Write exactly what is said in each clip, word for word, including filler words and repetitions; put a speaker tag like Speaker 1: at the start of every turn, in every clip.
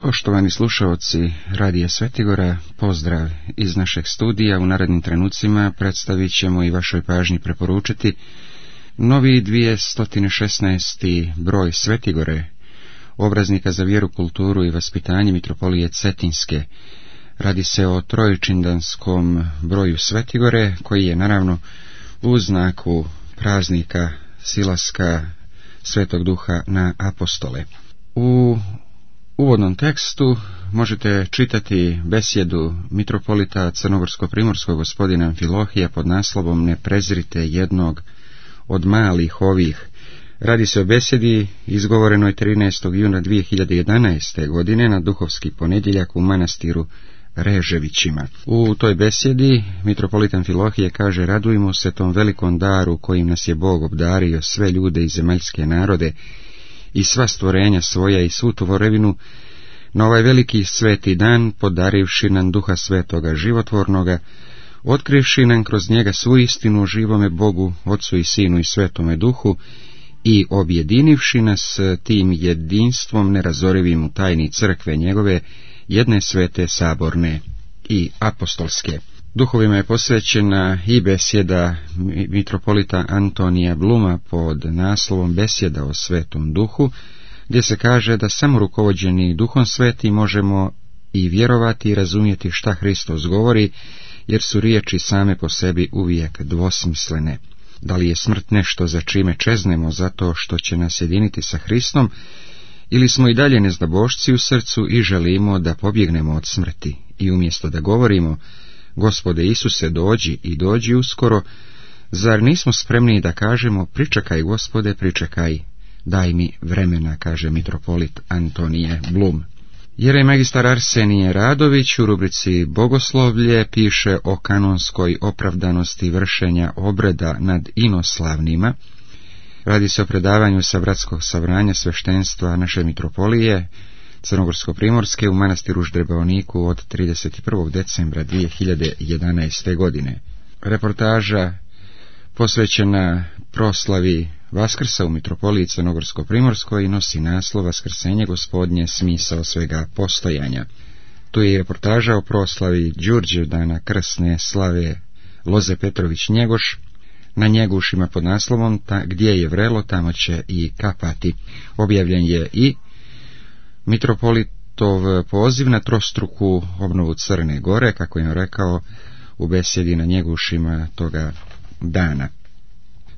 Speaker 1: Poštovani slušaoci Radija Svetigora, pozdrav iz našeg studija. U narednim trenucima predstavit ćemo i vašoj pažnji preporučiti novi dvjesto šesnaesti broj Svetigore, obraznika za vjeru, kulturu i vaspitanje mitropolije Cetinske. Radi se o trojčindanskom broju Svetigore, koji je naravno u znaku praznika silaska Svetog Duha na apostole. U uvodnom tekstu možete čitati besjedu mitropolita crnogorsko-primorskog gospodina Amfilohija pod naslovom Ne prezrite jednog od malih ovih. Radi se o besjedi izgovorenoj trinaestog juna dvije hiljade jedanaeste. godine na duhovski ponedjeljak u manastiru Reževićima. U toj besjedi mitropolit Amfilohije kaže: radujmo se tom velikom daru kojim nas je Bog obdario, sve ljude i zemaljske narode i sva stvorenja svoja i svu tvorevinu, na ovaj veliki sveti dan, podarivši nam Duha Svetoga životvornoga, otkrivši nam kroz njega svu istinu o živome Bogu, Otcu i Sinu i Svetome Duhu, i objedinivši nas tim jedinstvom nerazorivim u tajni crkve njegove, jedne svete, saborne i apostolske. Duhovima je posvećena i besjeda mitropolita Antonija Bluma pod naslovom Besjeda o Svetom Duhu, gdje se kaže da samo rukovođeni Duhom Svetim možemo i vjerovati i razumjeti šta Hristos govori, jer su riječi same po sebi uvijek dvosmislene. Da li je smrt nešto za čime čeznemo zato što će nas jediniti sa Hristom, ili smo i dalje nezdabošci u srcu i želimo da pobjegnemo od smrti i umjesto da govorimo Gospode Isuse, dođi i dođi uskoro, zar nismo spremni da kažemo pričekaj Gospode, pričekaj, daj mi vremena, kaže mitropolit Antonije Blum. Jerej magistar Arsenije Radović u rubrici Bogoslovlje piše o kanonskoj opravdanosti vršenja obreda nad inoslavnima. Radi se o predavanju sa bratskog sabranja sveštenstva naše mitropolije Crnogorsko-primorske u manastiru Ždrebaoniku od trideset prvog decembra dvije hiljade jedanaeste. godine. Reportaža posvećena proslavi Vaskrsa u mitropoliji Crnogorsko-primorskoj i nosi naslov Vaskrsenje Gospodnje, smisao svega postojanja. Tu je i reportaža o proslavi Đurđevdana krsne slave Loze Petrović Njegoš na Njegušima pod naslovom ta, Gdje je vrelo, tamo će i kapati. Objavljen je i mitropolitov poziv na trostruku obnovu Crne Gore, kako je on rekao u besjedi na Njegušima toga dana.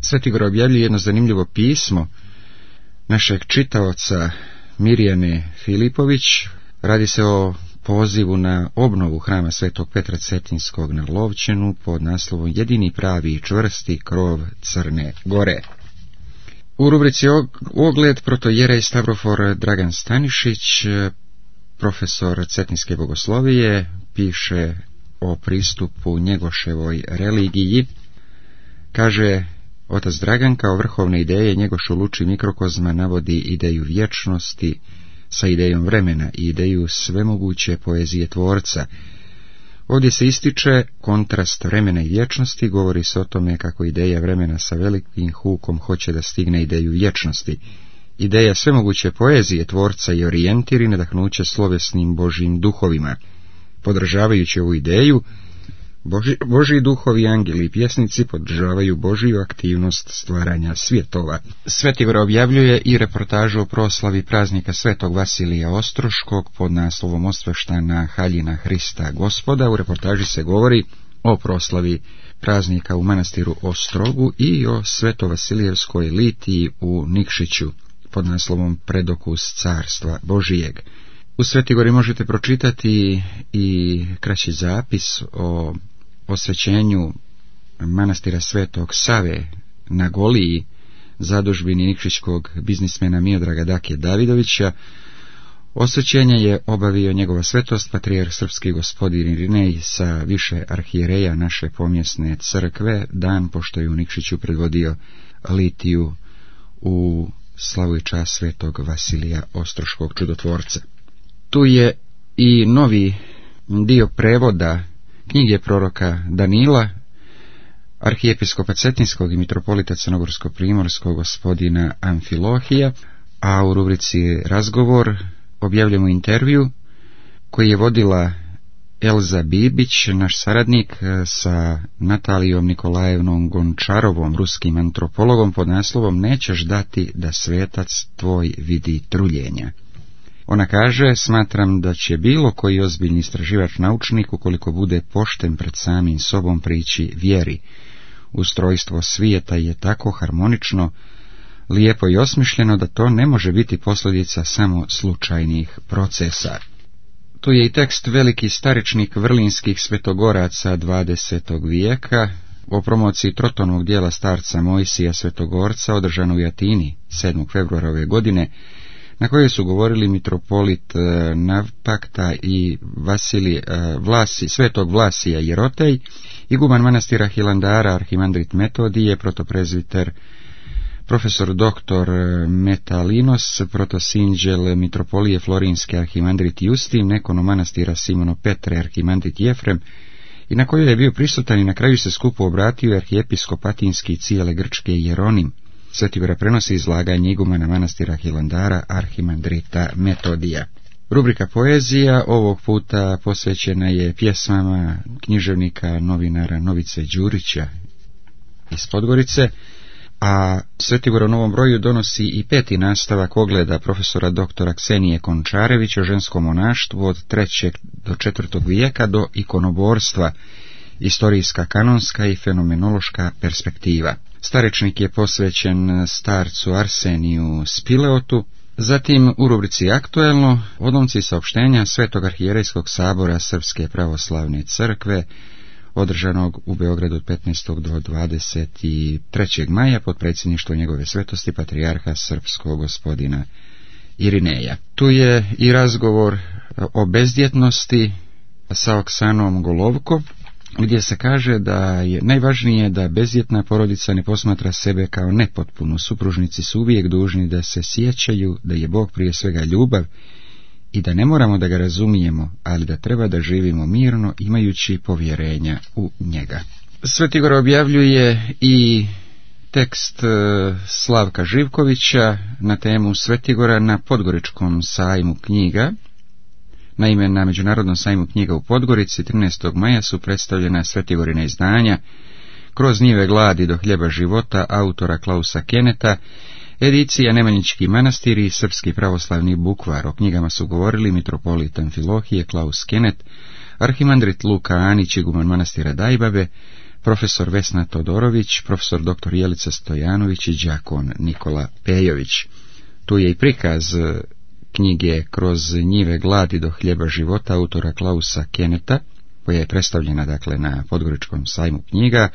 Speaker 1: Svetigor objavljuje jedno zanimljivo pismo našeg čitaoca Mirjane Filipović. Radi se o pozivu na obnovu hrama Svetog Petra Cetinskog na Lovćenu pod naslovom Jedini pravi i čvrsti krov Crne Gore. U rubrici Ogled protojerej Stavrofor Dragan Stanišić, profesor Cetinske bogoslovije, piše o pristupu Njegoševoj religiji. Kaže: otac Dragan kao vrhovne ideje Njegošu luči mikrokozma navodi ideju vječnosti sa idejom vremena i ideju svemoguće poezije tvorca. Ovdje se ističe kontrast vremena i vječnosti, govori se o tome kako ideja vremena sa velikim hukom hoće da stigne ideju vječnosti. Ideja svemoguće poezije tvorca i orijentir i nadahnuće slovesnim Božjim duhovima. Podržavajući ovu ideju, Boži, Božji duhovi, angeli i pjesnici podržavaju Božju aktivnost stvaranja svjetova. Svetigor objavljuje i reportažu o proslavi praznika Svetog Vasilija Ostroškog pod naslovom Osveštana haljina Hrista Gospoda. U reportaži se govori o proslavi praznika u manastiru Ostrogu i o Svetovasilijevskoj litiji u Nikšiću pod naslovom Predokus carstva Božijeg. U Svetigori možete pročitati i kraći zapis o osvećenju manastira Svetog Save na Goliji, zadužbini nikšićkog biznismena Miodraga Dake Davidovića. Osvećenje je obavio njegova svetost patrijarh srpski gospodin Irinej sa više arhijereja naše pomjesne crkve, dan pošto je u Nikšiću predvodio litiju u slavu i čast Svetog Vasilija Ostroškog čudotvorca. Tu je i novi dio prevoda knjige proroka Danila, arhijepiskopa Cetinskog i mitropolita Crnogorsko-primorskog gospodina Amfilohija, a u rubrici Razgovor objavljujemo intervju koji je vodila Elza Bibić, naš saradnik, sa Natalijom Nikolajevnom Gončarovom, ruskim antropologom, pod naslovom "Nećeš dati da svetac tvoj vidi truljenja". Ona kaže: "Smatram da će bilo koji ozbiljni istraživač naučnik, ukoliko bude pošten pred samim sobom, prići vjeri. Ustrojstvo svijeta je tako harmonično, lijepo i osmišljeno da to ne može biti posljedica samo slučajnih procesa." Tu je i tekst veliki staričnik vrlinskih svetogoraca dvadesetog vijeka o promociji Trotonovog dijela starca Mojsija Svetogorca, održano u Atini sedmog februara ove godine, na kojoj su govorili mitropolit Navpakta i Vasilij Vlasi, svetog Vlasija Jerotej, iguman manastira Hilandara arhimandrit Metodije, protoprezviter profesor doktor Metalinos, protosinđel mitropolije Florinske arhimandrit Justin, nekono manastira Simono Petre arhimandrit Jefrem, i na kojoj je bio prisutan i na kraju se skupu obratio arhijepiskop atinski cijele Grčke Jeronim. Svetigora prenosi izlaganje igumana manastira Hilandara arhimandrita Metodija. Rubrika poezija ovog puta posvećena je pjesmama književnika novinara Novice Đurića iz Podgorice, a Svetigor u novom broju donosi i peti nastavak ogleda profesora doktora Ksenije Končarevića o ženskom monaštvu od trećeg do četvrtog vijeka do ikonoborstva, istorijska, kanonska i fenomenološka perspektiva. Starečnik je posvećen starcu Arseniju Spileotu. Zatim u rubrici Aktuelno odlomci saopštenja Svetog arhijerejskog sabora Srpske pravoslavne crkve, održanog u Beogradu od petnaestog do dvadeset trećeg maja pod predsjedništvom njegove svetosti patrijarha srpskog gospodina Irineja. Tu je i razgovor o bezdjetnosti sa Oksanom Golovko, gdje se kaže da je najvažnije da bezdjetna porodica ne posmatra sebe kao nepotpunu. Supružnici su uvijek dužni da se sjećaju da je Bog prije svega ljubav i da ne moramo da ga razumijemo, ali da treba da živimo mirno imajući povjerenja u njega. Svetigor objavljuje i tekst Slavka Živkovića na temu Svetigora na Podgoričkom sajmu knjiga. Naime, na Međunarodnom sajmu knjiga u Podgorici trinaestog maja su predstavljena Svetigorina izdanja Kroz njive gladi do hljeba života autora Klausa Keneta, edicija Nemanjički manastir i Srpski pravoslavni bukvar. O knjigama su govorili mitropolit Amfilohije Klaus Kenet, arhimandrit Luka Anić, iguman manastira Dajbabe, profesor Vesna Todorović, profesor doktor Jelica Stojanović i đakon Nikola Pejović. Tu je i prikaz knjige Kroz njive gladi do hljeba života autora Klausa Keneta, koja je predstavljena dakle na Podgoričkom sajmu knjiga,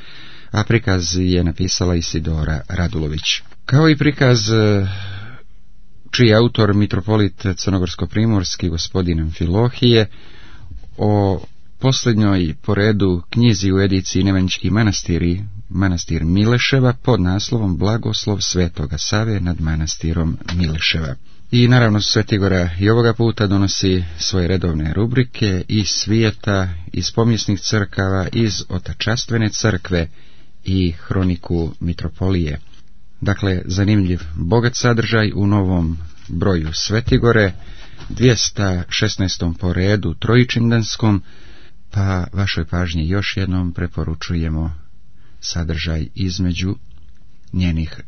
Speaker 1: a prikaz je napisala Isidora Radulović. Kao i prikaz čiji je autor mitropolit crnogorsko-primorski gospodin Amfilohije o posljednjoj po redu knjizi u ediciji Nemanjički manastiri, manastir Mileševa, pod naslovom Blagoslov Svetoga Save nad manastirom Mileševa. I naravno Svetigora i ovoga puta donosi svoje redovne rubrike iz svijeta, iz pomjesnih crkava, iz otačastvene crkve i hroniku mitropolije. Dakle, zanimljiv, bogat sadržaj u novom broju Svetigore, dvjesto šesnaestom po redu trojičindanskom, pa vašoj pažnji još jednom preporučujemo sadržaj između njenih